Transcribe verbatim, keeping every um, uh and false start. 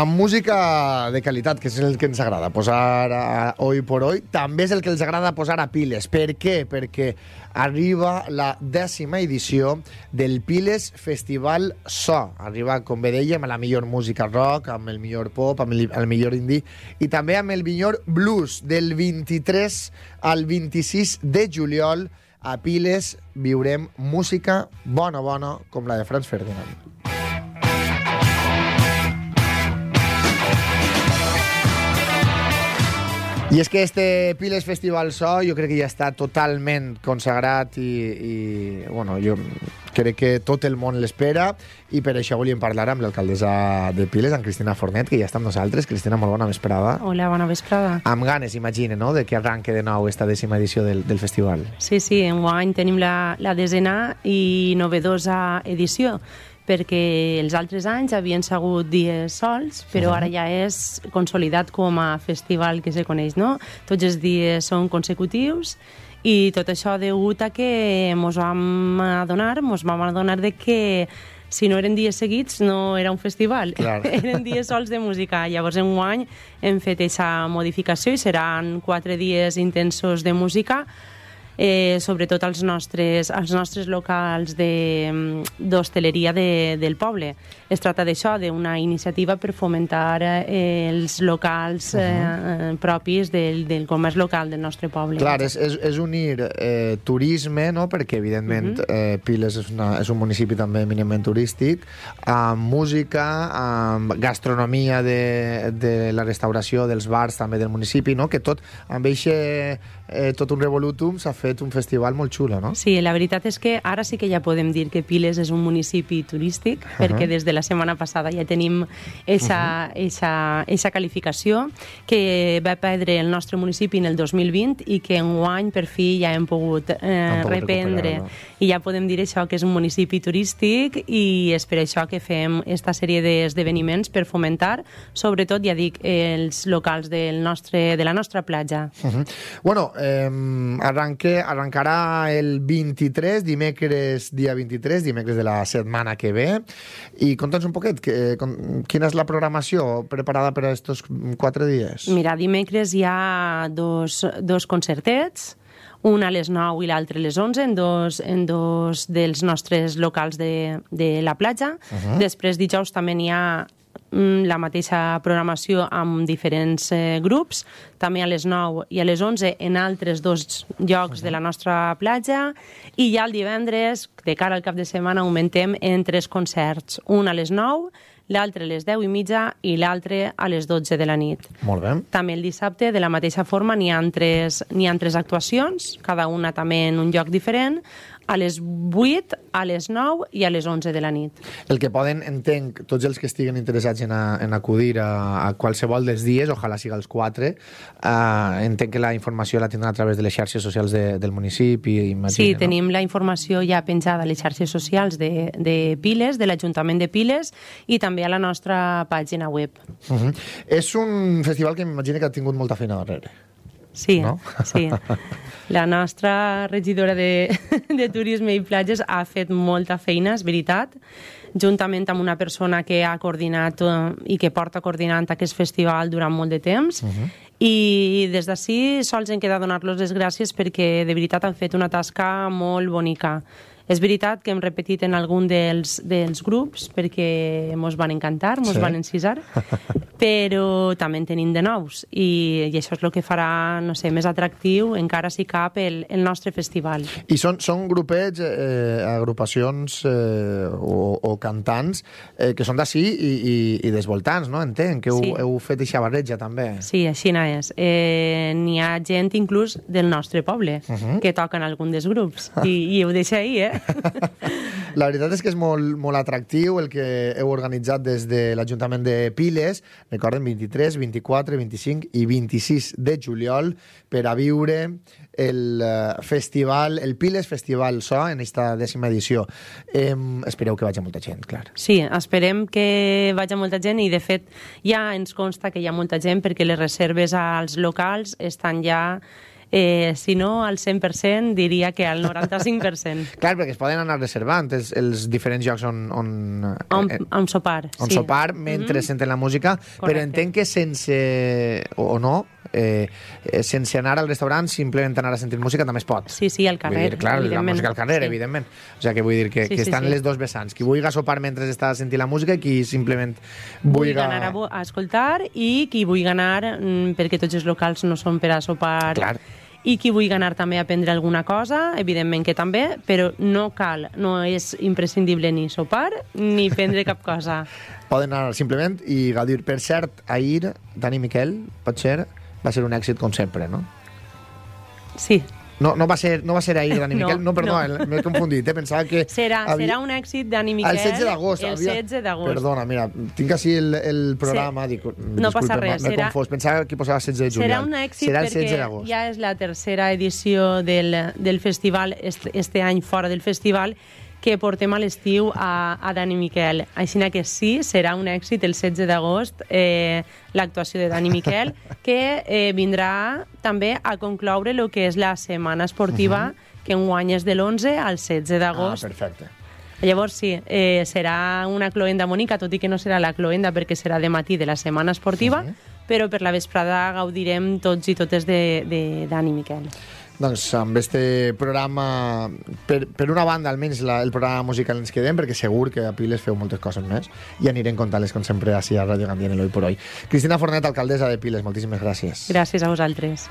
amb música de qualitat, que és el que ens agrada posar a Hoy por Hoy. També és el que els agrada posar a Piles. Per què? Perquè arriba la dècima edició del Piles Festival So. Arriba, com bé dèiem, amb la millor música rock, amb el millor pop, amb el, el millor indie i també amb el millor blues. Del vint-i-tres al vint-i-sis de juliol a Piles viurem música bona, bona, com la de Franz Ferdinand. I és que este Piles Festival So jo crec que ja està totalment consagrat i, i bueno, jo crec que tot el món l'espera i per això volíem parlar amb l'alcaldessa de Piles, amb Cristina Fornet, que ja està amb nosaltres. Cristina, molt bona vesprada. Hola, bona vesprada. Amb ganes, imagine, no?, de que arranque de nou esta dècima edició del, del festival. Sí, sí, enguany tenim la, la desena i novedosa edició, perquè els altres anys havien sigut dies sols, però uh-huh. ara ja és consolidat com a festival que se coneix, no? Tots els dies són consecutius i tot això degut a que mos vam adonar, mos vam adonar de que si no eren dies seguits no era un festival, eren dies sols de música. Llavors enguany hem fet aquesta modificació i seran quatre dies intensos de música, Eh, sobretot als nostres, als nostres locals d'hostaleria de, del poble. Es tracta d'això, d'una iniciativa per fomentar eh, els locals eh, uh-huh. propis del, del comerç local del nostre poble. Clar, és, és, és unir eh, turisme, no?, perquè evidentment uh-huh. eh, Piles és, una, és un municipi també eminentment turístic, amb música, amb gastronomia de, de la restauració dels bars també del municipi, no?, que tot amb eixe eh, tot un revolutum s'ha fet un festival molt xulo, no? Sí, la veritat és que ara sí que ja podem dir que Piles és un municipi turístic, uh-huh. perquè des de la setmana passada ja tenim eixa, uh-huh. eixa, eixa qualificació que va perdre el nostre municipi en el dos mil vint i que enguany per fi ja hem pogut, eh, pogut reprendre, i ja podem dir això, que és un municipi turístic, i és per això que fem esta sèrie d'esdeveniments per fomentar, sobretot, ja dic, els locals del nostre, de la nostra platja. Uh-huh. Bueno, eh, arranque, arrencarà el vint-i-tres, dimecres dia vint-i-tres, dimecres de la setmana que ve, i conta'ns un poquet, que, com, quina és la programació preparada per a estos quatre dies? Mira, dimecres hi ha dos, dos concertets, un a les nou i l'altre a les onze, en dos, en dos dels nostres locals de, de la platja. Uh-huh. Després, dijous, també n'hi ha la mateixa programació amb diferents eh, grups, també a les nou i a les onze en altres dos llocs uh-huh. de la nostra platja, i ja el divendres, de cara al cap de setmana, augmentem en tres concerts, un a les nou, l'altre a les deu i mitja i l'altre a les dotze de la nit. Molt bé. També el dissabte, de la mateixa forma, n'hi ha tres, n'hi ha tres actuacions, cada una també en un lloc diferent, a les vuit, a les nou i a les onze de la nit. El que poden, entenc, tots els que estiguen interessats en, a, en acudir a, a qualsevol dels dies, ojalà siga els quatre, uh, entenc que la informació la tindran a través de les xarxes socials de, del municipi, imagina, sí, no? Tenim la informació ja penjada a les xarxes socials de, de Piles, de l'Ajuntament de Piles, i també a la nostra pàgina web. Uh-huh. És un festival que m'imagino que ha tingut molta feina darrere. Sí, no? Sí. La nostra regidora de, de Turisme i Platges ha fet molta feina, és veritat, juntament amb una persona que ha coordinat uh, i que porta coordinant aquest festival durant molt de temps. Uh-huh. I des d'ací sols em queda donar-los les gràcies perquè de veritat han fet una tasca molt bonica. És veritat que hem repetit en algun dels, dels grups perquè mos van encantar, mos sí. van encisar, però també en tenim de nous, i, i això és el que farà, no sé, més atractiu encara si cap el, el nostre festival. I són, són grupets, eh, agrupacions eh, o, o cantants eh, que són d'ací i, i, i dels voltants, no? Entenc que heu, sí. heu fet eixa barreja també. Sí, així és. Eh, n'hi ha gent inclús del nostre poble uh-huh. que toquen algun dels grups, i, i ho deixa ahir, eh? La veritat és que és molt, molt atractiu el que heu organitzat des de l'Ajuntament de Piles. Recorden, vint-i-tres, vint-i-quatre, vint-i-cinc i vint-i-sis de juliol per a viure el festival, el Piles Festival So en esta dècima edició. Eh, espereu que vagi molta gent, clar. Sí, esperem que vagi molta gent, i de fet ja ens consta que hi ha molta gent perquè les reserves als locals estan ja Eh, si no al cent per cent, diria que al noranta-cinc per cent. Clar, perquè es poden anar reservant els, els diferents llocs on... On, on, eh, on sopar, on sí. sopar mentre mm-hmm. senten la música, Correcte. Però entenc que sense... o, o no, eh, sense anar al restaurant, simplement anar a sentir música també es pot. Sí, sí, al carrer, dir, clar, la música al carrer, sí. evidentment. O sigui, que vull dir que, sí, que sí, estan sí. les dos vessants. Qui vulgui sopar mentre està sentint la música i qui simplement vulgui vulgui... anar a, a escoltar i qui vulgui anar, perquè tots els locals no són per a sopar... Clar. I qui vulgui anar també a prendre alguna cosa, evidentment que també, però no cal, no és imprescindible ni sopar ni prendre cap cosa. Poden anar simplement i gaudir. Per cert, ahir, Dani Miquel, pot ser, va ser un èxit com sempre, no? Sí. No, no, va ser, no va ser ahir, Dani No, Miquel? No, perdó, no. m'he confundit, eh? Pensava que... Serà, havia... serà un èxit Dani Miquel el setze d'agost. el havia... setze d'agost. Perdona, mira, tinc així el, el programa, sí. dic, no passa res. M'he serà... confós, pensava que posava setze de juliol. Serà un èxit serà el perquè setze d'agost. ja és la tercera edició del, del festival, este, este any fora del festival, que portem a l'estiu a, a Dani Miquel. Així que sí, serà un èxit el setze d'agost eh, l'actuació de Dani Miquel, que eh, vindrà també a concloure el que és la setmana esportiva, uh-huh. que enguany és de l'onze al setze d'agost. Ah, perfecte. Llavors sí, eh, serà una cloenda bonica, tot i que no serà la cloenda perquè serà de matí de la setmana esportiva, uh-huh. però per la vesprada gaudirem tots i totes de, de Dani Miquel. Doncs amb este programa, per, per una banda almenys la, el programa musical ens quedem, perquè segur que a Piles feu moltes coses més i anirem contant-les com sempre així a Ràdio Gandia en l'Hoy por Hoy. Cristina Fornet, alcaldessa de Piles, moltíssimes gràcies. Gràcies a vosaltres.